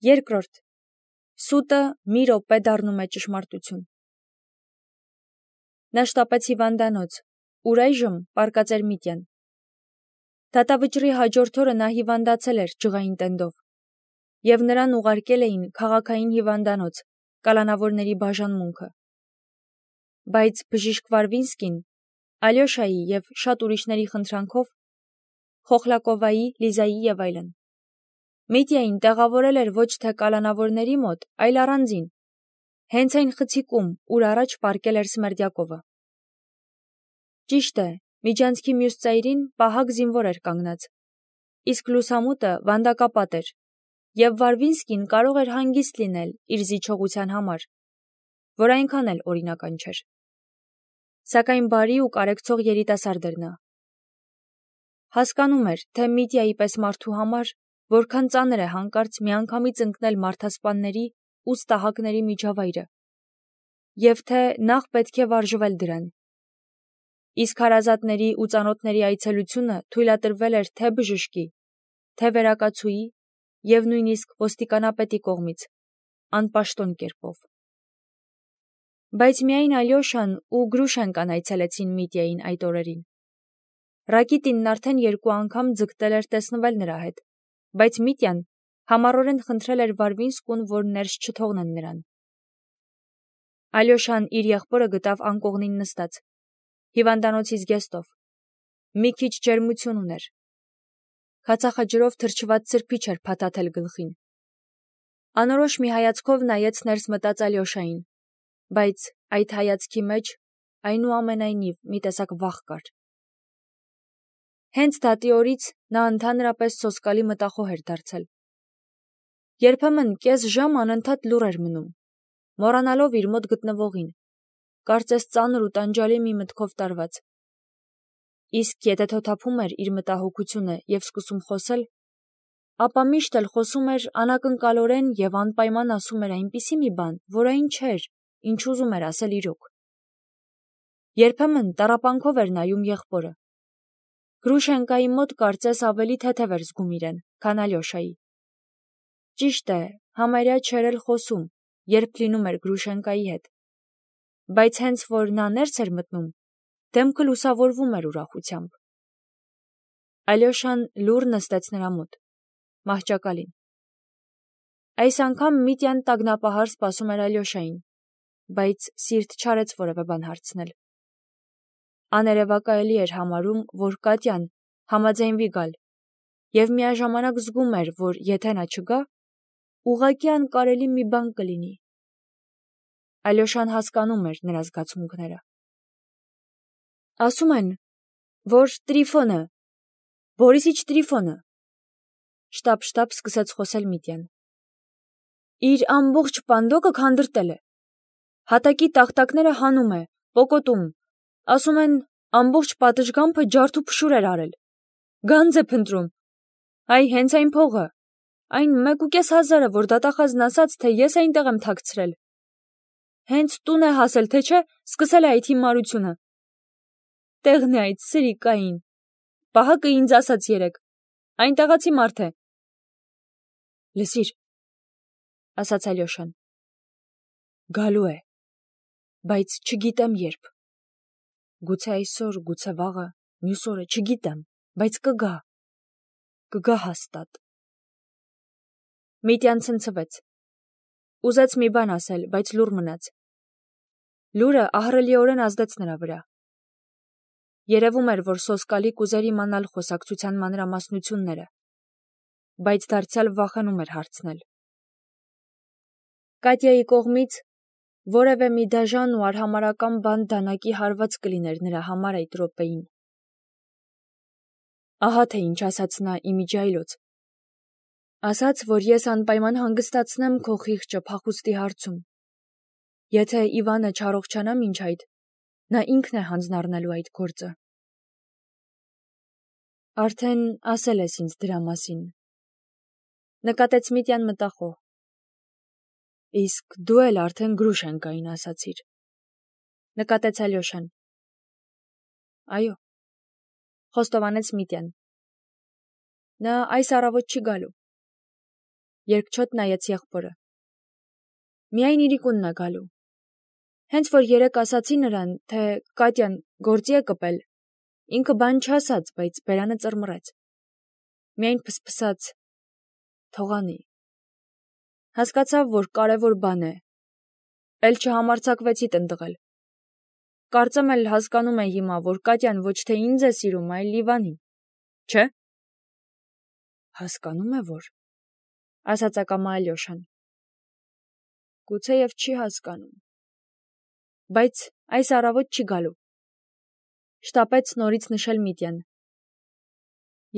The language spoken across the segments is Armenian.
Երկրորդ. սուտը մի րոպե դառնում է ճշմարտություն։ Նա շտապեց հիվանդանոց, ուր այժմ պառկած էր Միտյան։ Դատավճռի հաջորդ օրը նա հիվանդացել էր ջղային տենդով, և նրան ուղարկել էին քաղաքային հիվանդանոց, կալանավորների բաժանմունքը։ Բայց բժիշկ Վարվինսկին, Ալյոշայի և շատ ուրիշների խնդրանքով, Խոխլակովայի, Լիզայի և այլն, Միտյային տեղավորել էր ոչ թե կալանավորների մոտ, այլ առանձին, հենց այն խցիկում, ուր առաջ պառկել էր Սմերդյակովը։ Ճիշտ է, միջանցքի մյուս ծայրին պահակ զինվոր էր կանգնած, իսկ լուսամուտը վանդակապատ էր, և Վարվինսկին կարող էր հանգիստ լինել իր զիջողության համար, որ այնքան էլ օրինական չէր։ Սակայն բարի ու կարեկցող երիտասարդ էր նա։ Հասկանում էր, թե Միտյայի պես մարդու համար որքան ծանր է հանկարծ միանգամից ընկնել մարդասպանների ու ստահակների միջավայրը, և թե նախ պետք է վարժվել դրան։ Իսկ հարազատների ու ծանոթների այցելությունը թույլատրվել էր թե բժշկի, թե վերակացուի և նույնիսկ ոստիկանապետի կողմից, անպաշտոն կերպով։ Բայց միայն Ալյոշան ու Գրուշենկան այցելեցին Միտյային այդ օրերին։ Ռակիտինն արդեն 2 անգամ ձգտել էր տեսնվել նրա հետ, բայց Միտյան համառորեն խնդրել էր Վարվինսկուն, որ ներս չթողնեն նրան։ Ալյոշան իր եղբորը գտավ անկողնին նստած, հիվանդանոցի զգեստով, մի քիչ ջերմություն ուներ, հացախաջրով թրջված սրբիչ էր փաթաթել գլխին։ Անորոշ մի հայացքով նայեց ներս մտած Ալյոշային, բայց այդ հայացքի մեջ այնուամենայնիվ մի տեսակ վախ կար։ Հենց դատի օրից նա ընդհանրապես սոսկալի մտախոհ էր դարձել։ Երբեմն կես ժամ անընդհատ լուռ էր մնում, մոռանալով իր մոտ գտնվողին, կարծես ծանր ու տանջալի մի մտքով տարված։ Իսկ եթե թոթափում էր իր մտահոգությունը և սկսում խոսել, ապա միշտ էլ խոսում էր անակնկալորեն և անպայման ասում էր այնպիսի մի բան, որ այն չէր, ինչ ուզում էր ասել իրոք։ Երբեմն տառապանքով էր նայում եղբորը։ Գրուշենկայի մոտ կարծես ավելի թեթև էր զգում իրեն, քան Ալյոշայի։ Ճիշտ է, համարյա չէր էլ խոսում, երբ լինում էր Գրուշենկայի հետ, բայց հենց որ նա ներս էր մտնում, դեմքը լուսավորվում էր ուրախությամբ։ Ալյոշան լուռ նստեց նրա մոտ, մահճակալին։ Այս անգամ Միտյան տագնապահար սպասում էր Ալյոշային, բայց սիրտ չարեց որևէ բան հարցնել։ Աներևակայելի էր համարում, որ Կատյան համաձայնվի գալ, և միաժամանակ զգում էր, որ եթե նա չգա, ուղղակի անկարելի մի բան կլինի։ Ալյոշան հասկանում էր նրա զգացմունքները։ Ասում են, որ Տրիֆոնը, Բորիսիչ Տրիֆոնը, շտապ սկսեց խոսել Միտյան, իր ամբողջ պանդոկը քանդրտել է, հատակի տախտակները հանում է, պոկոտում, ասում են ամբողջ պատշգամբը ջարդ ու փշուր էր արել, գանձ է փնտրում, այ հենց այն փողը, այն 1,5 հազարը, որ դատախազն ասաց, թե ես այնտեղ եմ թաքցրել, հենց տուն է հասել, թե չէ, սկսել է այդ հիմարությունը։ Տեղն է այդ սրիկային, պահակը ինձ ասաց երեկ, այնտեղացի մարդ է։ Լսիր, ասաց Ալյոշան, գալու է, բայց չգիտեմ երբ, գուցե այսօր, գուցե վաղը, մյուս օրը, չգիտեմ, բայց կգա հաստատ։ Միտյան ցնցվեց, ուզեց մի բան ասել, բայց լուռ մնաց։ Լուրը ահռելիորեն ազդեց նրա վրա։ Երևում էր, որ սոսկալի կուզեր իմանալ խոսակցության մանրամասնությունները, բայց դարձյալ վախենում էր հարցնել։ Կատյայի կողմից որևէ մի դաժան ու արհամարհական բան դանակի հարված կլիներ նրա համար այդ րոպեին։ Ահա թե ինչ ասաց նա իմիջիայլոց։ Ասաց, որ ես անպայման հանգստացնեմ քո խիղճը փախուստի հարցում։ Եթե Իվանը չառողջանա մինչ այդ, նա ինքն է հանձնառնելու այդ գործը։ Արդեն ասել ես ինձ դրա մասին, նկատեց Միտյան մտախոհ։ Իսկ դու էլ արդեն Գրուշենկային ասացիր, նկատեց Ալյոշան։ Այո, խոստովանեց Միտյան։ Նա այս առավոտ չի գալու։ Երկչոտ նայեց եղբորը։ Միայն իրիկունն է գալու։ Հենց որ երեկ ասացի նրան, թե Կատյան գործի է կպել, ինքը բան չասաց, բայց բերանը ծռմռեց։ Միայն փսփսաց. թողանի։ Հասկացավ, որ կարևոր բան է։ Էլ չհամարձակվեցի տնտղել։ Կարծեմ էլ հասկանում է հիմա, որ Կատյան ոչ թե ինձ է սիրում, այլ Իվանին, չէ՞։ Հասկանում է, որ, ասաց ակամա Ալյոշան։ Գուցեև չի հասկանում։ Բայց այս առավոտ չի գալու։ Շտապեց նորից նշել Միտյան։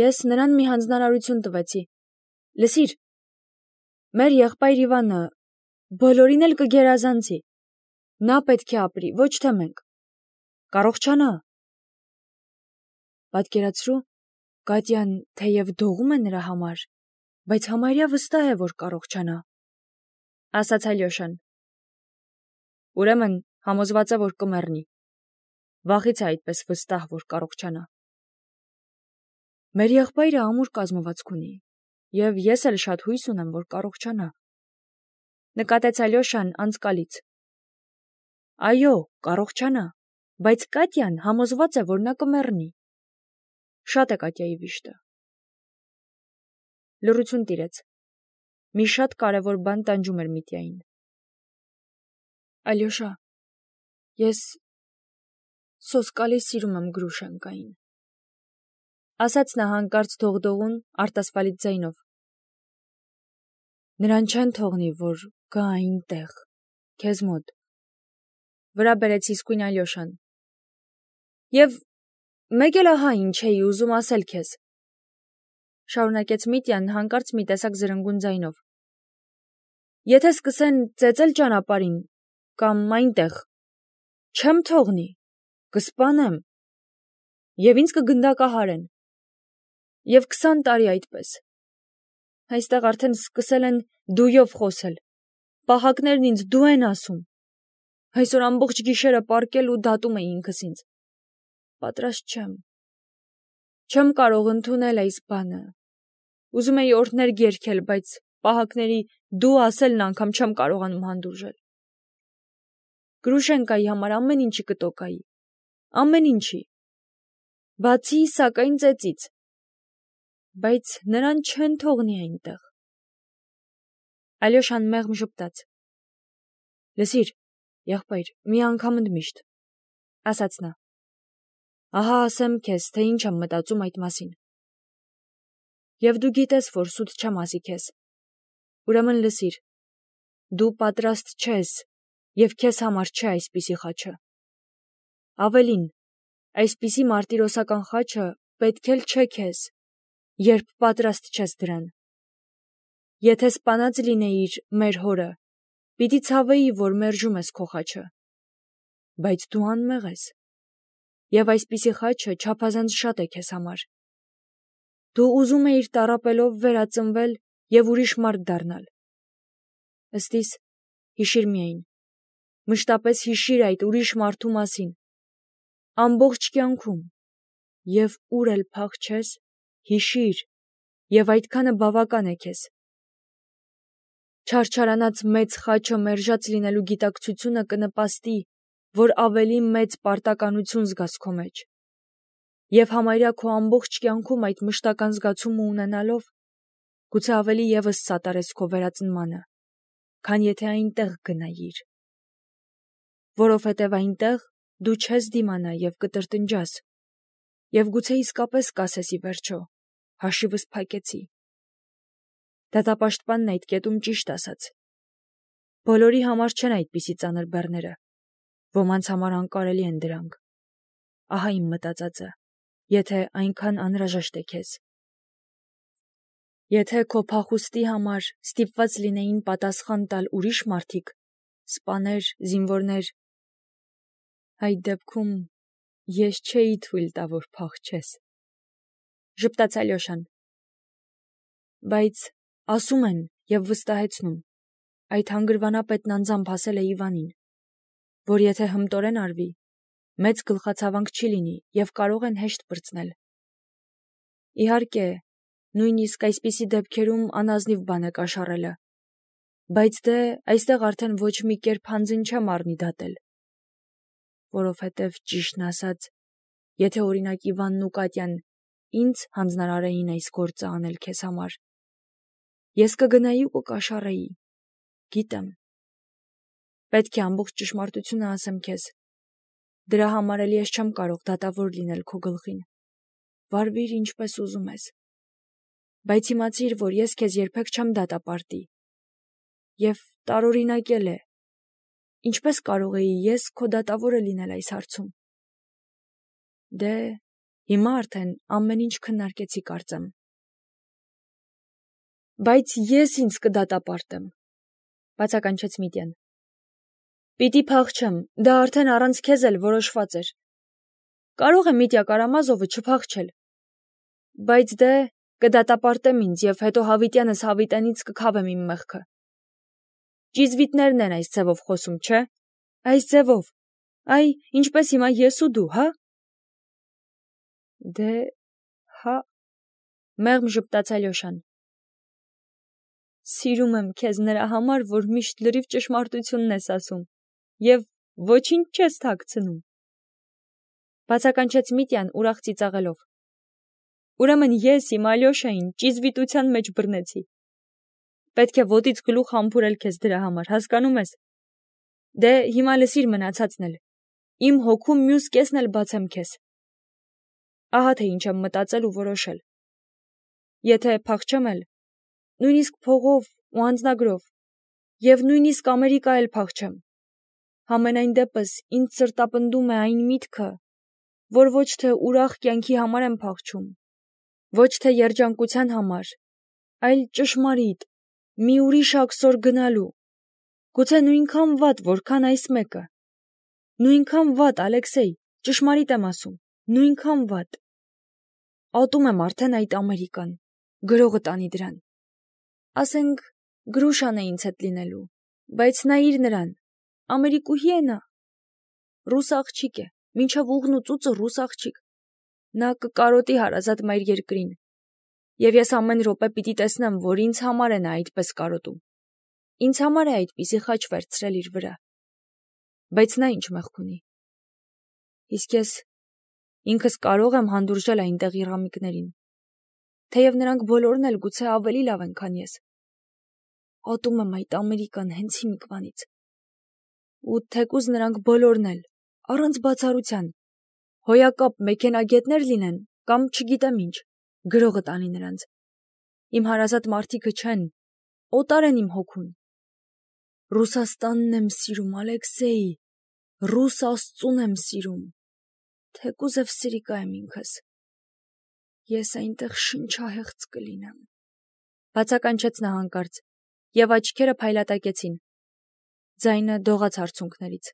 Ես նրան մի հանձնարարություն տվեցի։ Լսիր, մեր եղբայր Իվանը բոլորին էլ կգերազանցի։ Նա պետք է ապրի, ոչ թե մենք։ Կարողչանա։ Պատկերացրու, Կատյան թեև դողում է նրա համար, բայց համարյա վստահ է, որ կարողչանա, ասաց Ալյոշան։ Ուրեմն համոզված է, որ կմեռնի։ Վաղից է այդպես վստահ, որ կարողչանա։ Մեր եղբայրը ամուր կազմվածք ունի, եւ ես էլ շատ հույս ունեմ, որ կարողչանա։ Նկատեց Ալյոշան անցկալից։ Այո, կարողչանա, բայց Կատյան համոզված է, որ նա կմեռնի։ Շատ է Կատյայի վիշտը։ Լռություն տիրեց։ Մի շատ կարևոր բան տանջում էր Միտյային։ Ալյոշա, ես սոսկալի սիրում եմ Գրուշենկային, ասաց նա հանկարծ դողդողուն արտասվալից ձայնով։ Նրան չեն թողնի, որ գա այնտեղ, քեզ մոտ։ Վրա բերեց իսկույն Ալյոշան։ Եվ մեկ էլ ահա ինչ էի ուզում ասել քեզ, շարունակեց Միտյան հանկարծ մի տեսակ զրնգուն ձայնով։ Եթե սկսեն ծեծել ճանապարհին կամ այնտեղ, չեմ թողնի, կսպանեմ, եւ ինձ կգնդակահարեն։ Եվ 20 տարի այդպես։ Այստեղ արդեն սկսել են դույով խոսել։ Պահակներն ինձ դու են ասում։ Այսօր ամբողջ գիշերը պառկել ու դատում էի ինքս ինձ։ Պատրաստ չեմ։ Չեմ կարող ընդունել այս բանը։ Ուզում էի օրհներգ երգել, բայց պահակների դու ասելն անգամ չեմ կարողանում հանդուրժել։ Գրուշենկայի համար ամեն ինչի կտոկայի։ Ամեն ինչի։ Բացի սակայն ծեծից։ Բայց նրան չեն թողնի այնտեղ։ Ալյոշան մեղմ ժպտաց։ Լսիր, եղբայր, մի անգամ ընդմիշտ, ասաց նա։ Ահա ասեմ քեզ, թե ինչ եմ մտածում այդ մասին։ Եվ դու գիտես, որ սուտ չեմ ասի քեզ։ Ուրեմն լսիր, դու պատրաստ չես, եւ քեզ համար չէ այսպիսի խաչը։ Ավելին, այսպիսի մարտիրոսական խաչը պետք էլ չէ քեզ, երբ պատրաստ չես դրան։ Եթե սպանած լինեիր մեր հորը, պիտի ցավեի, որ մերժում ես քո խաչը։ Բայց դու անմեղ ես։ Եվ այսպիսի խաչը չափազանց շատ է քեզ համար։ Դու ուզում էիր տառապելով վերածնվել եւ ուրիշ մարդ դառնալ։ Ըստիս, հիշիր միայն, մշտապես հիշիր այդ ուրիշ մարդու մասին, ամբողջ կյանքում, եւ ուր էլ փախչես, հիշիր, եւ այդքանը բավական է քեզ։ Չարչարանած մեծ խաչը մերժած լինելու գիտակցությունը կնպաստի, որ ավելի մեծ պարտականություն զգաս քո մեջ։ Եվ համարյա քո ամբողջ կյանքում այդ մշտական զգացումը ունենալով, գուցե ավելի եւս սատարես քո վերածնմանը, քան եթե այնտեղ գնայիր։ Որովհետև այնտեղ դու չես դիմանա եւ կտրտնջաս, եւ գուցե իսկապես կասես ի վերջո. հաշիվս փակեցի։ Դատապաշտպանն այդ կետում ճիշտ ասաց։ Բոլորի համար չեն այդպիսի ծանր բեռները, ոմանց համար անկարելի են դրանք։ Ահա իմ մտածածը, եթե այնքան անհրաժեշտ է քեզ։ Եթե քո փախուստի համար ստիպված լինեին պատասխան տալ ուրիշ մարդիկ, սպաներ, զինվորներ, այդ դեպքում ես չէի թույլ տա, որ փախչես։ Ժպտաց Ալյոշան։ Բայց ասում են եւ վստահեցնում, այդ հանգրվանապետն անձամբ ասել է Իվանին, որ եթե հմտորեն արվի, մեծ գլխացավանք չի լինի եւ կարող են հեշտ պրծնել։ Իհարկե, Նույնիսկ այսպիսի դեպքերում անազնիվ բան է կաշառելը։ Բայց դե այստեղ արդեն ոչ մի կերպ հանձին չեմ առնի դատել։ Որովհետև ճիշտն ասած, եթե օրինակ Իվանն ու Կատյան ինձ հանձնարարեին այս գործը անել քեզ համար, ես կգնայի ու կկաշառեի։ Գիտեմ։ Պետք է ամբողջ ճշմարտությունը ասեմ քեզ։ Դրա համար էլ ես չեմ կարող դատավոր լինել քո գլխին։ Վարվիր ինչպես ուզում ես։ Բայց իմացիր, որ ես քեզ երբեք չեմ դատապարտի։ Եվ տարօրինակ է։ Ինչպես կարող էի ես քո դատավորը լինել այս հարցում։ Դե, հիմա արդեն ամեն ինչ քննարկեցի կարծեմ։ Բայց ես ինձ կդատապարտեմ, բացականչեց Միտյան։ Պիտի փախչեմ, դա արդեն առանց քեզ էլ որոշված էր։ Կարող է Միտյա Կարամազովը չփախչել։ Բայց դե կդատապարտեմ ինձ և հետո հավիտյանս հավիտենից կքավեմ իմ մեղքը։ Ճիզվիտներն են այս ձևով խոսում, չէ՞։ Այս ձևով, այ ինչպես հիմա ես ու դու, հա։ Դե, հա, մեղմ ժպտաց Ալյոշան։ Սիրում եմ քեզ նրա համար, որ միշտ լրիվ ճշմարտությունն ես ասում և ոչինչ չես թաքցնում։ Բացականչեց Միտյան ուրախ ծիծաղելով։ Ուրեմն ես իմ Ալյոշային ճիզվիտության մեջ բռնեցի։ Պետք է ոտից գլուխ համբուրել քեզ դրա համար, հասկանում ես։ Դե հիմա լսիր մնացածն էլ։ Իմ հոգում մյուս կեսն էլ բացեմ քեզ։ Ահա թե ինչ եմ մտածել ու որոշել։ Եթե փախչեմ էլ, նույնիսկ փողով ու անձնագրով, և նույնիսկ Ամերիկա էլ փախչեմ, համենայն դեպս ինձ սրտապնդում է այն միտքը, որ ոչ թե ուրախ կյանքի համար եմ փախչում, ոչ թե երջանկության համար, այլ ճշմարիտ, մի ուրիշ աքսոր գնալու, գուցե նույնքան վատ, որքան այս մեկը։ Նույնքան վատ, Ալեքսեյ, ճշմարիտ եմ ասում, նույնքան վատ։ Ատում եմ արդեն այդ Ամերիկան, գրողը տանի դրան։ Ասենք, Գրուշան է ինձ հետ լինելու, բայց նայիր նրան, Ամերիկուհի է նա։ Ռուս աղջիկ է, մինչև ուղն ու ծուծը ռուս աղջիկ։ Նա կկարոտի հարազատ մայր երկրին։ Եվ ես ամեն րոպե պիտի տեսնեմ, որ ինձ համար է նա այդպես կարոտում։ Ինձ համար է այդպիսի խաչ վերցրել իր վրա։ Բայց նա ինչ մեղք ունի։ Իսկ ես ինքս կարող եմ հանդուրժել այնտեղ իռամիկներին, թեև նրանք բոլորն էլ գուցե ավելի լավ են, քան ես։ Ատում եմ այդ Ամերիկան հենց հիմիկվանից։ Ու թեկուզ նրանք բոլորն էլ, առանց բացառության, հոյակապ մեքենագետներ լինեն կամ չգիտեմ ինչ, գրողը տանի նրանց։ Իմ հարազատ մարդիկը չեն, օտար են իմ հոգուն։ Ռուսաստանն եմ սիրում, Ալեքսեյ, ռուս աստծուն եմ սիրում, թեկուզև սրիկա եմ ինքս։ Ես այնտեղ շնչահեղձ կլինեմ։ Բացականչեց նա հանկարծ, և աչքերը փայլատակեցին։ Ձայնը դողաց արցունքներից։